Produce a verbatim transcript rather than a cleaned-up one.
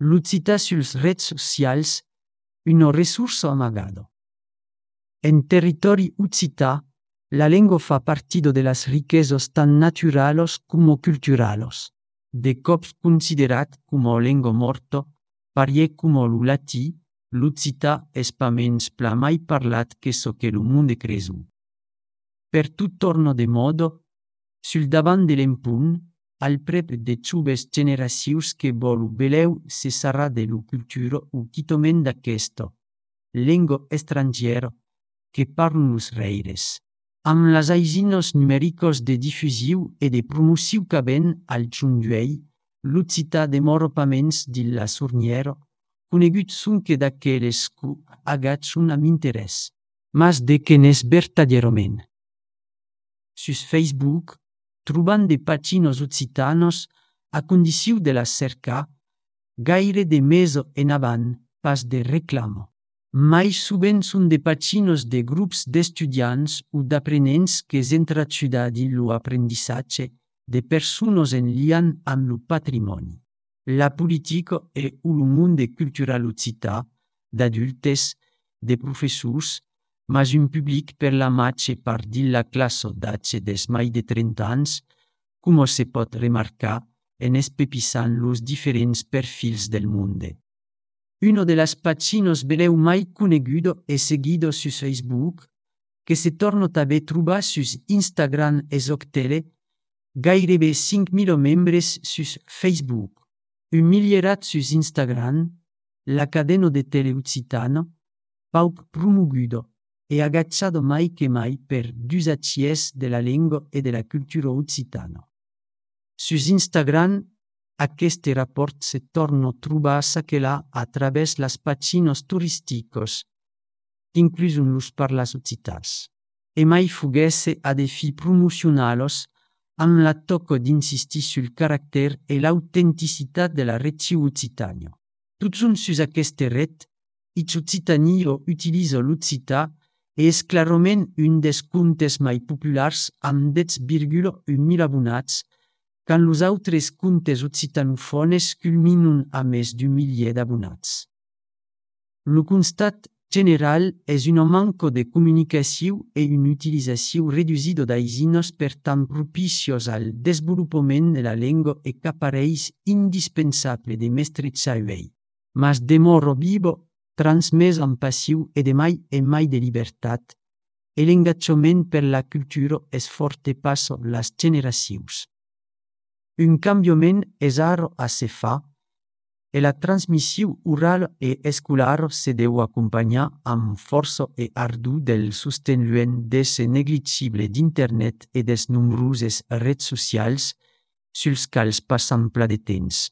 L'Occità suls rets socials, una risorsa amagada. En territori occità, la lengua fa partido de las riquezas tan naturales como culturales. De cops considerat como lengua morta, pariè como lo latí, l'occità es pa mens pla mai parlat que so que lo monde cresu. Per tot torno de modo, sul davant de l'empunt, al prep de ciubes generacius que volu beleu se sarà de lo cultura o quitomen d'aquesto, lengua estrangiera, que parlun los reires. Amb las aisinos numericos de difusiu e de promoció qu'aven al giunduei, l'occità demora pa mens dilla surniera, conegut sonque d'aqueles cu agacun amb interès, mas de que n'és vertadierament. Sus Facebook, trobant de paginos occitanos a condició de la cercar, gaire de mesa en avant, pas de reclamo. Mais souvent són de paginos de grups d'estudiants o d'aprenents que s'entraciuda din lo apprendissatge de persones en lian amb lo patrimoni, la politica e o lo monde cultural occità, d'adultes, de professors, mas un public per la matche part dilla classe d'atge des mai de trenta anys, com se pot remarcar en espepissant los diferents perfils del monde. Uno de las paginos beleu mai conegudo e seguido sus Facebook, que se torna també trobar sus Instagram e Zoctele, gairebé cinc mil membres sus Facebook, un milierat sus Instagram, la cadena de tele occitana, pauc promogudo e agacciado mai che mai per d'usacies de la lingua e de la cultura occitana. Sus Instagram, aquest rapport se torna trobar saquelà a través las paginos turisticos, inclusun los parlas occitans, e mai fuguesse a de fi promocionalos amb la tocca d'insistir sul caractère e l'autenticitat de la regió occitana. Tots són sus aquesta ret, ich occitanio utilisa l'occità e és clarament un des comptes mai populars amb deu virgula un mil abonats, quand los autres comptes occitanofones culminun a més d'un milier d'abonats. Lo constat general és una manca de comunicació e una utilització reduïda d'aisinos per tant propicios al desenvolupament de la lengua e qu'apareix indispensable de mestrejar uei, mas demora vivo, transmès amb passió e de mai e mai de llibertat, e l'engagement per la cultura és forte passa las generacions. Un canviament és ara a se fa, e la transmissió oral e escolar se deu acompanyar amb força e ardor del sosteniment des negligible d'internet e des nombroses redes socials, suls quals passam pla de temps.